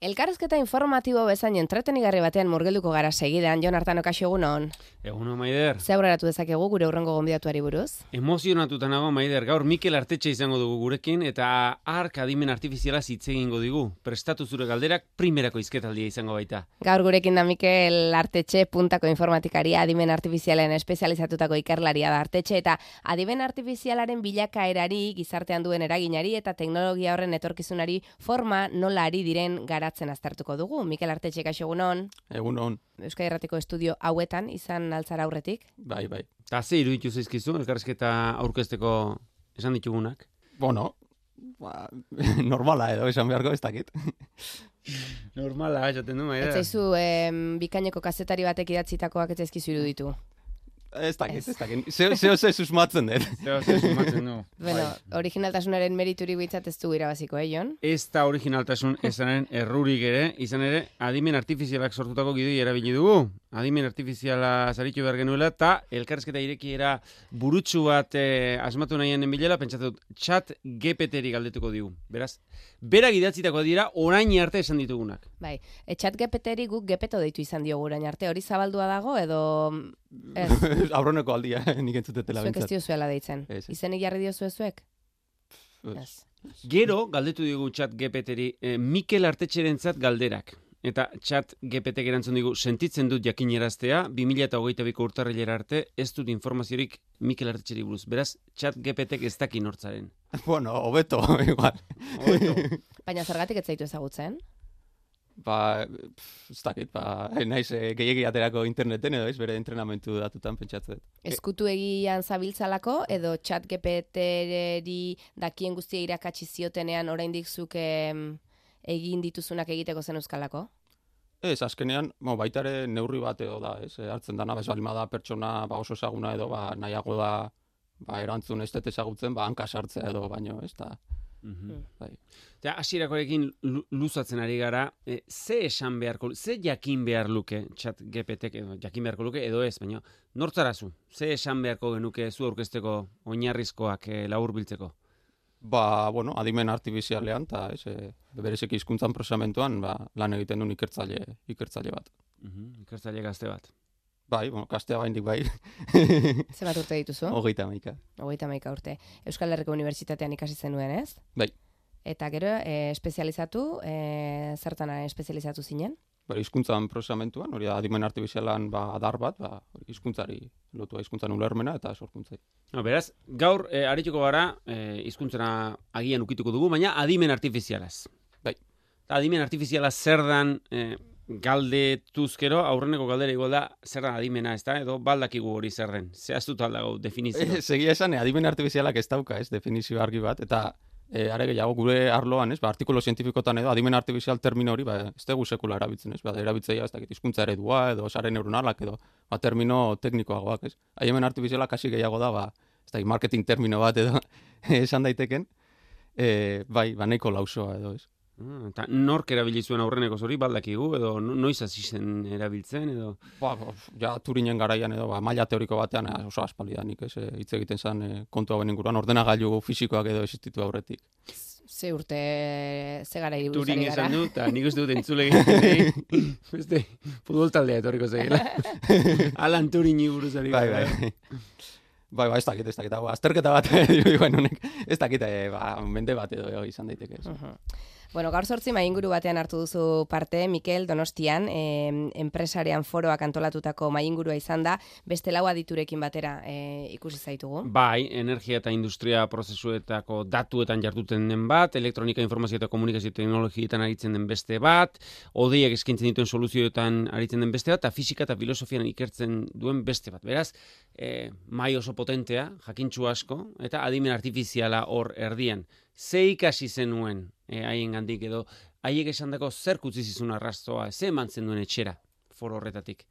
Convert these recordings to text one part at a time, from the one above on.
Elkarrizketa informatibo bezain entretenigarri batean murgilduko gara segidan, Jon Artano, kaixo egunon. Egunon, Maider. Ze aurreratu dezakegu gure hurrengo gonbidatuari buruz? Emozionatuta nago, Maider. Gaur Mikel Artetxe izango dugu gurekin eta hark adimen artifiziala hitz egingo digu. Prestatu zure galderak primerako hizketaldia izango baita. Gaur gurekin da Mikel Artetxe, puntako informatikaria, adimen artifizialen espezializatutako ikerlaria da Artetxe, eta adimen artifizialaren bilakaerari, gizartean duen eraginari eta teknologia horren etorkizunari forma nola ari diren garatzen aztertuko dugu. Mikel Artetxe, kaixo egunon. Egunon. Euskadi Irratiko estudio hauetan izan altzara aurretik. Bai. Ta ze iruditu zaizkizu elkarrizketa aurkezteko esan ditugunak? Bueno, normala edo esan beharko ez dakit. Normala, esaten du, Maider. Ez zaizu bikaineko kazetari batek idatzitakoak ez zaizkizu iruditu. Ez dakit. Zeo susmatzen dut. Zeo susmatzen du. Bueno, originaltasunaren merituri bitzat ez du irabaziko, Jon? Ez da originaltasun esanen errurik ere, izan ere, adimen artifizialak sortutako gidoi erabili dugu. Adimen artifiziala zaritu behar genuela, eta elkarrizketa irekiera burutsu bat asmatu nahien bilela, pentsatu chat GPT-ri galdetuko digu. Beraz, berak idatzitako dira orain arte esan ditugunak. Bai, chat GPT-ri guk gepeto deitu izan diogu orain arte, hori zabaldua dago edo... Ez. Aurroneko aldia, nik entzutetela Zuek ez bintzat. diozuela deitzen. Ez. Izenik jarri diozue zuek? Ez. Gero, galdetu digu chat GPT-ri, Mikel Artetxerentzat galderak. Eta chat GPT erantzun digu, sentitzen dut jakineraztea, 2022ko urtarrilera arte, ez dut informaziorik Mikel Artetxeri buruz. Beraz, chat GPT-ek ez daki nortzaren. Bueno, hobeto, igual. Baina zergatik ez zaitu ezagutzen? Ez dakit, naiz gehiegi aterako interneten edo ez, bere entrenamentu datutan pentsatzen. Eskutu egian zabiltzalako edo chat GPT-ri dakien guztia irakatsi ziotenean oraindik zuk egin dituzunak egiteko zen euskalako? Ez, azkenean, baita ere neurri bat edo da, ez, hartzen dana, bez balima da pertsona oso ezaguna edo, nahiago da, erantzun ez dut ezagutzen, hanka sartzea edo, baino, ez da. Bai. Eta hasierakorekin luzatzen ari gara, ze esan beharko, ze jakin behar luke chat GPT-ek edo jakin beharko luke edo ez, baina nortzarazu, ze esan beharko genuke zu aurkezteko oinarrizkoak laburbiltzeko? Bueno, adimen artifizialean, eta bereziki hizkuntzan prozesamentuan lan egiten duen ikertzaile bat. Ikertzaile gazte bat. Bai, gaztea baindik bai. Zenbat urte dituzu? 31. 31 urte. Euskal Herriko Unibertsitatean ikasi zenuen, ez? Bai. Eta gero, espezializatu, zertan espezializatu zinen? Hizkuntzan prozesamentuan, hori da adimen artifizialan adar bat, hizkuntzari lotua hizkuntzan ulermena eta sorkuntzai. Beraz, gaur arituko gara, hizkuntzena agian ukituko dugu, baina adimen artifizialaz. Bai. Adimen artifiziala zer dan galdetuzkero, aurreneko galdera igual da, zer da adimena, ez da, edo baldakigu hori zer den. Zehaztuta aldago definizio. Segia esan, adimen artifizialak ez dauka, ez, definizio argi bat, eta are gehiago gure arloan, ez, artikulo zientifikotan edo adimen artifizial termino hori, ez dugu sekula erabiltzen, ez, erabiltzeia, ez dakit, hizkuntza eredua edo sare neuronalak edo, termino teknikoagoak, ez. Adimen artifizialak hasi gehiago da, ez dakit, marketing termino bat edo esan daiteken, nahiko lausoa edo, ez. Eta nork erabili zuen aurreneko hori baldakigu, edo noiz hasi zen erabiltzen, edo... Ja, Turinen garaian edo, maila teoriko batean oso aspaldidanik, ez, hitz egiten zen kontu hauen inguruan, ordenagailu fisikoak edo existitu aurretik. Ze urte, ze gara buruz Turin ari gara? esan dut, eta nik uste dut entzule egiten, beste, futbol taldea etorriko zegela. Alan Turini buruz ari gara. Bai, ez dakit, azterketa bat, ez dakit, mende bat edo izan daiteke. Bueno, gaur 8 mainguru batean hartu duzu parte, Mikel, Donostian, enpresarian foroak antolatutako maingurua izan da, beste 4 aditurekin batera ikusi zaitugu. Bai, energia eta industria prozesuetako datuetan jarduten den bat, elektronika, informazio eta komunikazio teknologietan aritzen den beste bat, hodeiak eskaintzen dituen soluzioetan aritzen den beste bat, eta fisika eta filosofian ikertzen duen beste bat. Beraz, mai oso potentea, jakintsu asko, eta adimen artifiziala hor erdian. Ze ikasi zenuen haien gandik edo, haiek esandako zer kutzi zizun arrastoa, ze emantzen duen etxera, foro horretatik?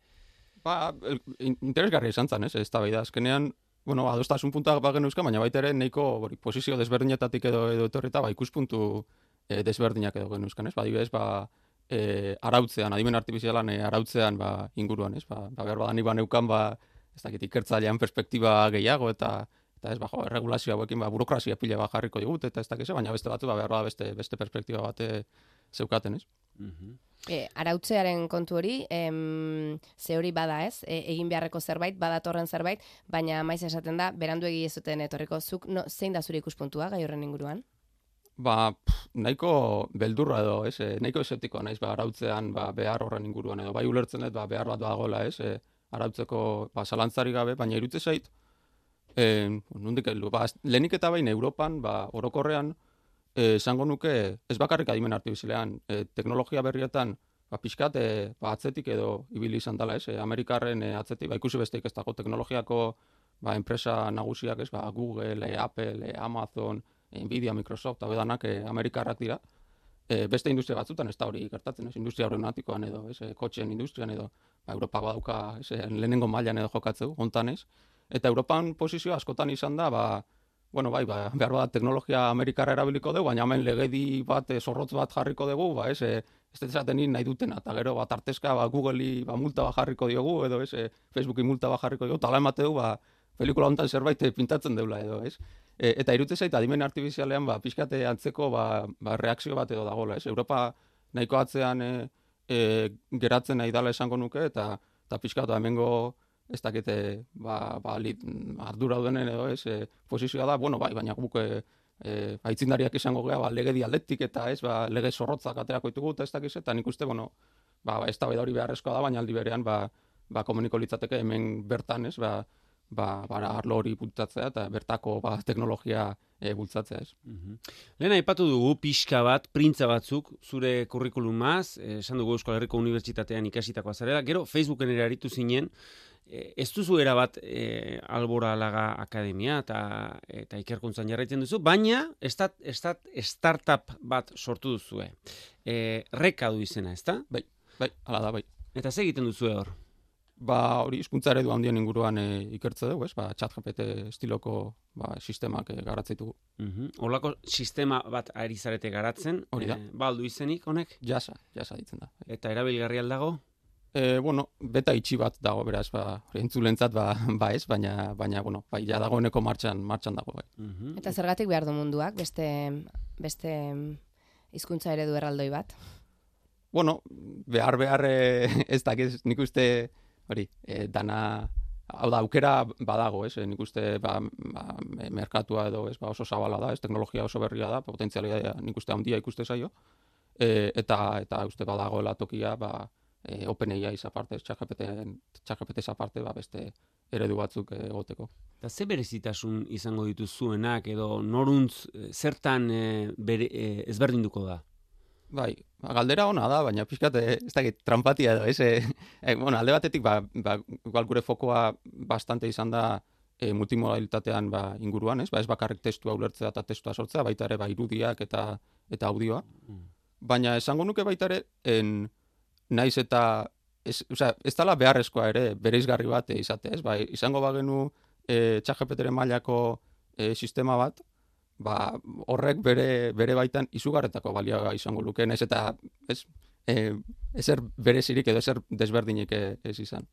Interesgarria izan zen, ez da bai da, azkenean, adostasun puntak bagen euskan, baina baita ere nahiko posizio desberdinetatik edo etorreta, ikuspuntu desberdinak edo genuzkan, ez? Adibidez, arautzean, adimen artifizialan arautzean inguruan, ez? Behar badan iban eukan, ez dakit ikertzailean perspektiba gehiago eta ez erregulazio hauekin burokrazia pila bat jarriko digut eta ez dakize, baina beste batzu behar beste perspektiba bat zeukaten, ez? Arautzearen kontu hori, ze hori bada ez, egin beharreko zerbait, badatorren zerbait, baina maiz esaten da, beranduegi ez zuten etorriko. Zuk zein da zure ikuspuntua gai horren inguruan? Nahiko beldurra edo, nahiko eseptikoa naiz, arautzean behar horren inguruan edo, bai ulertzen dut, behar bat dagoela, arautzeko zalantzarik gabe, baina irutze zait, nondik heldu, lehenik eta bain Europan, orokorrean, esango nuke, ez bakarrik adimen artifizialean, teknologia berrietan, pixkat, atzetik edo ibili izan dela, Amerikarren atzetik, ikusi besteik ez dago teknologiako enpresa nagusiak, Google, Apple, Amazon, Nvidia, Microsoft, hau edanak Amerikarrak dira. Beste industria batzutan ez da hori gertatzen, industria aeronautikoan edo, kotxeen industrian edo, Europa badauka lehenengo mailan edo jokatzeu, hontan ez. Eta Europan posizioa askotan izan da, behar bat teknologia Amerikarra erabiliko dugu, baina hemen legedi bat, zorrotz bat jarriko dugu, ez dezaten nahi dutena, eta gero artezka Google-i multa bat jarriko diogu, edo Facebooki multa bat jarriko diogu, tala emate dugu, pelikula hontan zerbait pintatzen deula edo, ez? Eta irute zait, adimen artifizialean, pixkate antzeko reakzio bat edo dagoela, ez? Europa nahiko atzean geratzen nahi dala esango nuke, eta pixkatu hemengo ez dakite ardura denen edo, ez? Posizioa da, baina guk aitzindariak izango gea, legedi aldetik eta ez, lege zorrotzak aterako ditugu, eta ez dakiz, eta nik uste, ez da hori beharrezkoa da, baina aldi berean, komuniko litzateke hemen bertan, ez, arlo hori bultzatzea eta bertako teknologia bultzatzea, ez. Lehen aipatu dugu pixka bat, printza batzuk, zure kurrikulumaz, esan dugu Euskal Herriko Unibertsitatean ikasitakoa zarela, gero Facebooken ere aritu zinen, ez duzu erabat Albora Laga Akademia eta ikerkuntzan jarraitzen duzu, baina startup bat sortu duzue. Reka du izena, ezta? Bai, hala da, bai. Eta ze egiten duzu hor? Hori hizkuntza eredu handien inguruan ikertze dugu, ez? ChatGPT estiloko sistemak garatzitugu. Horlako sistema bat ari zarete garatzen, hori da. Aldu izenik, honek? Jasa ditzen da. Eta erabilgarri aldago? Beta itxi bat dago, beraz, entzulentzat ez, baina, ja dagoeneko martxan dago, bai. Eta zergatik behar du munduak, beste hizkuntza eredu erraldoi bat? Behar ez dakiz, nik uste, dana, hau da, aukera badago, ez, nik uste, merkatua edo, ez, oso zabala da, ez, teknologia oso berria da, potentzialia nik uste handia ikuste zaio, eta uste badagoela tokia, OpenAI aparte, ChatGPT aparte, beste eredu batzuk egoteko. Eta ze berezitasun izango dituzuenak edo noruntz zertan ezberdinduko da? Bai, galdera ona da, baina pixkat ez dakit trampatia edo, ez? Alde batetik, igual gure fokoa bastante izan da multimodalitatean inguruan, ez? Ez bakarrik testua ulertzea eta testua sortzea, baita ere irudiak eta audioa. Baina esango nuke baita ere, naiz eta ez dela beharrezkoa ere bereizgarri bat izate, ez? Izango bagenu ChatGPT-ren mailako sistema bat, horrek bere baitan izugarretako balioa izango luke, naiz eta ezer berezirik edo ezer desberdinik ez izan.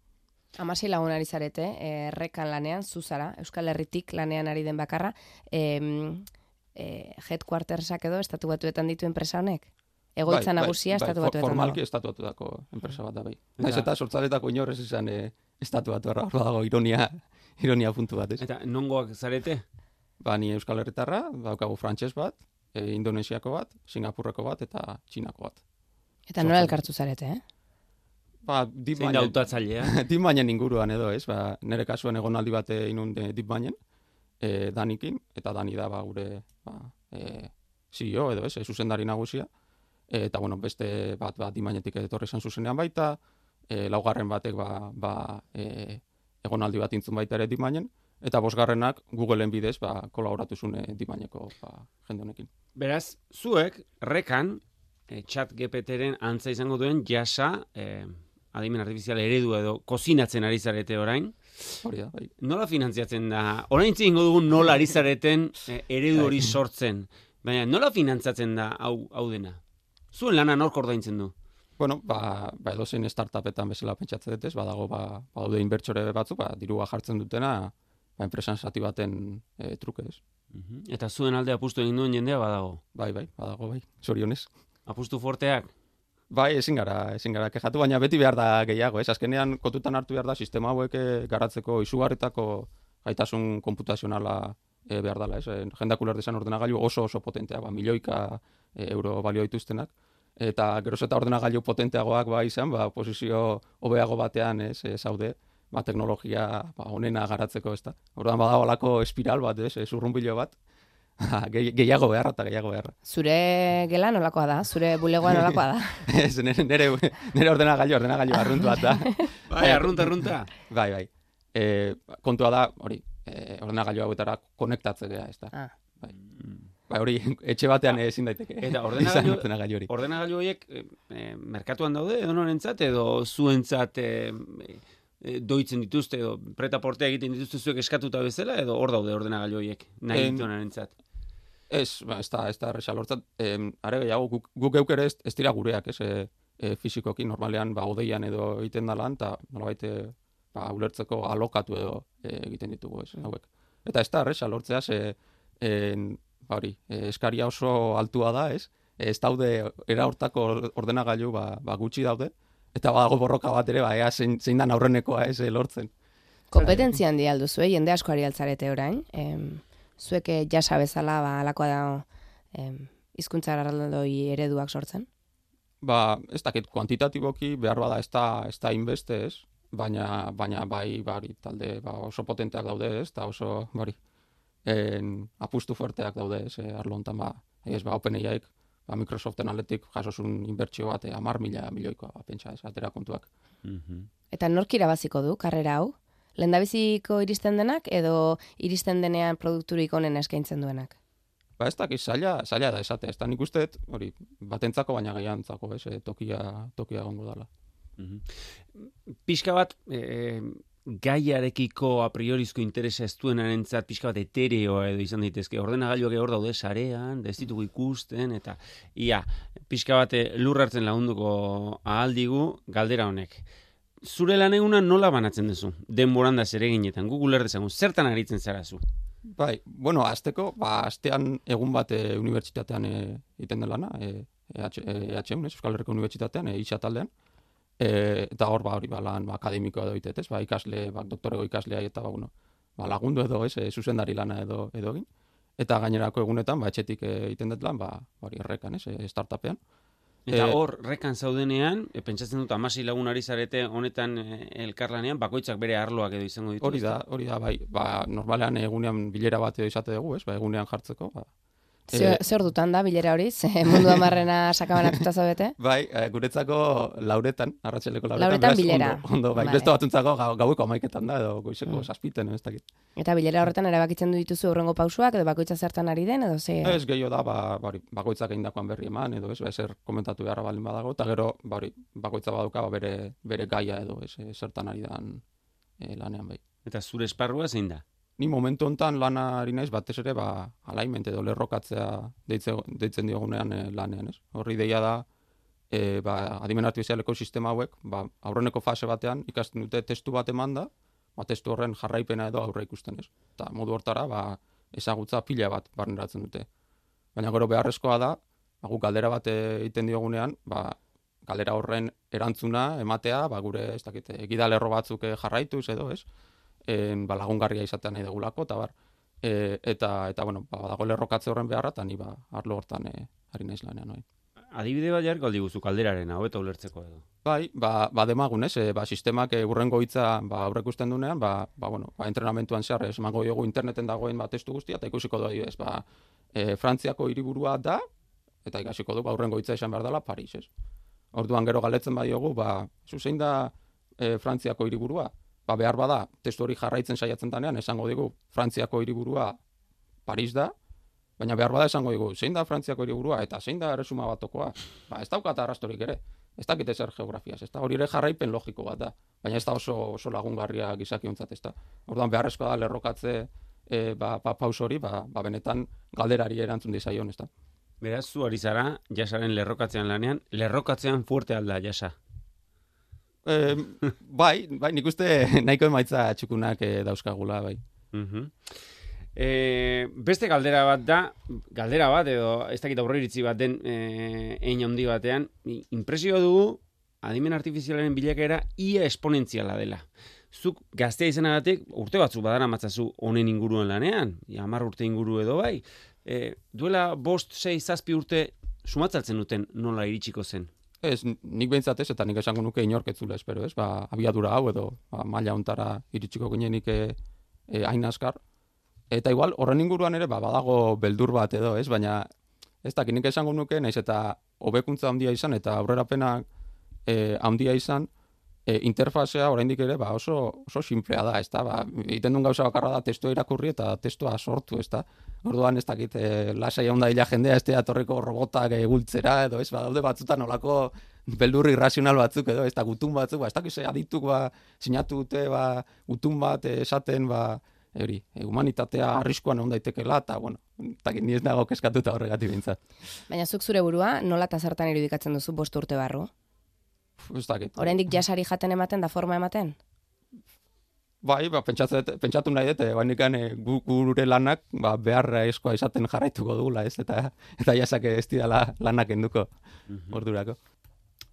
16 lagun ari zarete, Rekan lanean, zuzara, Euskal Herritik lanean ari den bakarra, headquartersak edo estatu batuetan ditu enpresa honek? Egoitza nagusia estatu batuetan dago. Formalki estatu batuetako enpresa bat da, bai. Naiz eta sortzaletako inorrez izan estatu batuerra, hor dago ironia puntu bat, ez? Eta nongoak zarete? Ni Euskal Herritarra, daukagu frantses bat, Indonesiako bat, Singapurreko bat eta Txinako bat. Eta nola elkartu zarete, Zein da hautatzailea? DeepMinden inguruan edo, ez? Nire kasuan egonaldi bat inun DeepMinden, Danikin, eta Dani da gure CEO edo, ez? Zuzendari nagusia. Eta, beste bat DeepMindetik etorri izan zuzenean baita, laugarren batek egonaldi bat intzun baita ere DeepMinden, eta bosgarrenak Googleen bidez kolaboratu zune DeepMindeko jende honekin. Beraz, zuek, Rekan, ChatGPT-ren antza izango duen jasa, adimen artifizial eredu edo kozinatzen ari zarete orain. Hori da, bai. Nola finantziatzen da? Orain zingo dugun nola ari zareten eredu hori sortzen. Baina nola finantzatzen da hau dena? Zuen lana nork ordaintzen du? Edozein startupetan bezala pentsatzen dut ez, badaude inbertsore batzuk, dirua jartzen dutena, enpresan zati baten truke ez. Eta zuen alde apustu egin duen jendea badago? Badago, zorionez. Apustu forteak? Bai, ezin gara kexatu, baina beti behar da gehiago, ez? Azkenean kontutan hartu behar da sistema hauek garatzeko izugarritako gaitasun konputazionala behar dela, ez? Jendak uler dezan ordenagailu oso potenteak, milioika euro balio dituztenak, eta geroz eta ordenagailu potenteagoak izan, posizio hobeago batean zaude, teknologia onena garatzeko, ez da. Orduan badagoelako espiral bat, zurrunbilo bat, gehiago beharra. Zure gela nolakoa da? Zure bulegoa nolakoa da? Ez, nire ordenagailu arruntu bat da. Bai, arrunta. Bai. Kontua da, hori, ordenagailu hauetara konektatzea, ez da. Bai, hori, etxe batean ezin daiteke. Eta ordenagailu horiek merkatuan daude, edo norentzat, edo zuentzat doitzen dituzte, edo preta-portea egiten dituzte zuek eskatuta bezala, edo hor daude ordenagailu horiek, nahi dituenarentzat? Ez da erresa lortzat. Are gehiago, guk geuk ere ez dira gureak, fizikoki, normalean, odeian edo egiten dalan, eta nolabait ulertzeko alokatu edo egiten ditugu, hauek. Eta ez da erresa lortzea, eskaria oso altua da, ez daude era hortako ordenagailu gutxi daude, eta badago borroka bat ere, ea zein dan aurrenekoa lortzen. Kompetentzia handia alduzu, jende asko ari altzarete orain. Zuek jasa bezala alakoa da hizkuntza erraldoi ereduak sortzen? Ez dakit kuantitatiboki behar bada ez da inbeste, baina bai talde oso potenteak daude, eta oso apustu fuerteak daude, arlo honetan OpenAIek, Microsoften aldetik jasosun inbertsio bat 10.000 milioikoa pentsa, atera kontuak. Eta nork irabaziko du karrera hau? Lehendabiziko iristen denak edo iristen denean produkturik onena eskaintzen duenak? Ez dakit, zaila da esatea, ez da nik usteet, hori, batentzako baina gehiantzako, tokia gongo dela. Pixka bat, gaiarekiko a priorizko interesa ez duenarentzat pixka bat etereoa edo izan daitezke. Ordenagailuak hor daude sarean, ez ditugu ikusten, eta pixka bat lur hartzen lagunduko ahaldigu galdera honek. Zure lan eguna nola banatzen duzu? Denboran da zereginetan, Google dezagun, zertan aritzen zara zu? Bai, azteko, astean egun bat unibertsitatean egiten den lana, EHM, Euskal Herriko Unibertsitatean, ISA taldean, eta hor lan akademikoa edo itetez, ikasle, doktorego ikaslea eta lagundu edo zuzendari lana edo egin. Eta gainerako egunetan, etxetik egiten dut lan, errekan, startupean. Eta hor, rekan zaudenean, pentsatzen dut 16 lagun ari zarete honetan elkarlanean, bakoitzak bere arloak edo izango ditu. Hori da, bai, normalean egunean bilera bat edo izate dugu, egunean jartzeko, Zer dutan da bilera hori? Mundu amarrena sakabanatuta zaudete? Bai, guretzako lauretan, arratsaleko lauretan bilera. Ondo, beste batuntzako gaueko 11etan da, edo goizeko 7etan, ez dakit. Eta bilera horretan erabakitzen dituzu hurrengo pausuak, edo bakoitza zertan ari den, edo ze? Ez, gehiago da, bakoitzak egindakoan berri eman, edo zer komentatu beharra balin badago, eta gero, bakoitza baduka bere gaia edo zertan ari dan lanean bai. Eta zure esparrua zein da? Ni momentu honetan lanari naiz batez ere alignment edo lerrokatzea deitzen diogunean lanean, ez? Horri deia da adimen artifizialeko sistema hauek, aurreneko fase batean ikasten dute testu bat emanda, testu horren jarraipena edo aurre ikusten, ez? Eta modu hortara ezagutza pila bat barneratzen dute. Baina gero beharrezkoa da, guk galdera bat egiten diogunean, galdera horren erantzuna ematea, gure, ez dakit, egidalerro batzuk jarraituz edo, ez? Lagungarria izatea nahi degulako, eta dago lerrokatze horren beharra, eta ni arlo hortan ari naiz lanean. Adibide bat jarriko aldiguzu kalderaren, hau eta ulertzeko edo. Bai, demagun, ez? Sistemak urrengo hitza aurrekusten dunean, entrenamentuan zehar, emango diogu interneten dagoen testu guztia, eta ikusiko du adibidez, Frantziako hiriburua da, eta ikasiko du, urrengo hitza esan behar dela Paris, ez? Orduan gero galdetzen badiogu, zein da Frantziako hiriburua? Behar bada, testu hori jarraitzen saiatzen danean, esango digu, Frantziako hiriburua Paris da, baina behar bada esango digu, zein da Frantziako hiriburua, eta zein da erresuma batokoa, ez daukat arrastorik ere, ez dakite zer geografiaz, ez da, hori ere jarraipen logiko bat da, baina ez da oso lagungarria gizakiontzat, ez da. Orduan beharrezkoa da lerrokatze paus hori, benetan galderari erantzun dizaion, ez da. Beraz, zu ari zara, jasaren lerrokatzean lanean, lerrokatzean fuerte alda jasa. Bai, nik uste nahiko emaitza txukunak dauzkagula, bai. Beste galdera bat edo ez dakit aurreiritzi bat den hein handi batean, inpresio dugu adimen artifizialaren bilakaera ia esponentziala dela. Zuk gaztea izanagatik urte batzuk badara matzazu honen inguruan lanean, 10 urte inguru edo bai, duela 5, 6, 7 urte sumatzaltzen duten nola iritsiko zen. Ez, nik behintzat ez, eta nik esango nuke inork ez zula espero, ez? Abiadura hau edo maila hontara iritsiko ginenik hain azkar. Eta igual, horren inguruan ere, badago beldur bat edo, ez? Baina, ez dakit nik esango nuke, naiz eta hobekuntza handia izan, eta aurrerapenak handia izan, interfazea oraindik ere oso simplea da, ez da? Egiten duen gauza bakarra da testua irakurri eta testua sortu, ez da? Orduan ez dakit, lasai hon da hila jendea, ez da torreko robotak gultzera, edo ez, daude batzutan olako beldur irrazional batzuk, edo ez da gutun batzuk, ez dakiz adituk sinatu dute, gutun bat esaten, humanitatea arriskuan egon daitekela, eta, bueno, ni ez nago keskatuta horregatik bintzat. Baina zuk zure burua, nola eta zertan irudikatzen duzu 5 urte barru? Ez dakit. Oraindik jasari jaten ematen da forma ematen? Bai, pentsatu nahi dut, gure lanak beharra eskoa izaten jarraituko dugula, ez? Eta jasak ez didala lanak enduko ordurako.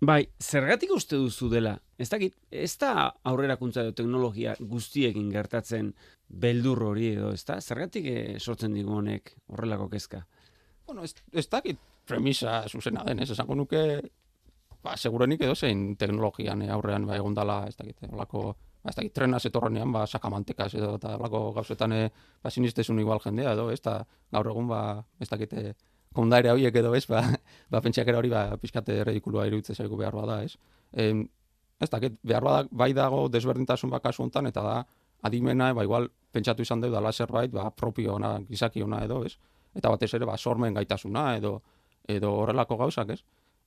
Bai, zergatik uste duzu dela? Ez dakit, ez da aurrerakuntza edo teknologia guztiekin gertatzen beldur hori edo, ez da? Zergatik sortzen digu honek horrelako kezka? Bueno, ez dakit premisa zuzena den, ez? Esango nuke, segurenik edo zein teknologian aurrean egon dala, ez dakit, olako, ez dakit, trena zetorrenean, sakamantekaz edo, eta olako gauzetan sinistezun igual jendea edo, ez da, gaur egun, ez dakit, kondaire horiek edo, ez, pentsiakera hori, pixkate ridikulua iruditzen zaigu behar bada, ez. Ez dakit, behar bada, bai dago desberdintasun kasu honetan, eta da, adimena, igual, pentsatu izan dut, dala zerbait, propio ona, gizaki ona edo, ez. Eta batez ere, sormen gaitasuna edo horrelako gauzak, ez.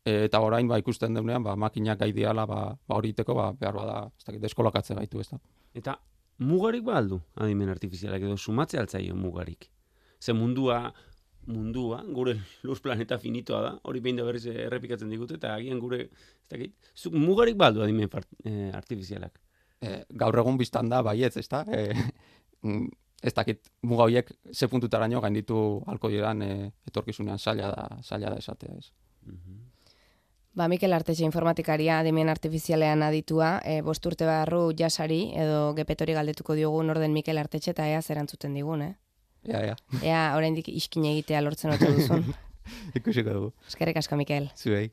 Eta orain ikusten deunean, makinak gai diala, hori iteko, behar bada, ez dakit, deskolakatze gaitu, ez da. Eta mugarik aldu adimen artifizialak edo sumatze altzaio mugarik. Ze mundua, gure lur planeta finitoa da, hori behin da berriz errepikatzen digute, eta agian gure, ez dakit, zuk mugarik baldu adimen artifizialak? Gaur egun biztan da, baietz, ez da? Ez dakit, muga horiek ze puntutaraino gainditu halko diran etorkizunean zaila da esatea, ez. Mikel Artetxe informatikaria adimen artifizialean aditua, 5 urte barru jasari edo gepetori galdetuko diogu norden Mikel Artetxe eta ea zerantzuten digun, Ea oraindik iskin egitea lortzen ote duzun. Ikusiko dugu. Eskerrik asko, Mikel. Zuei.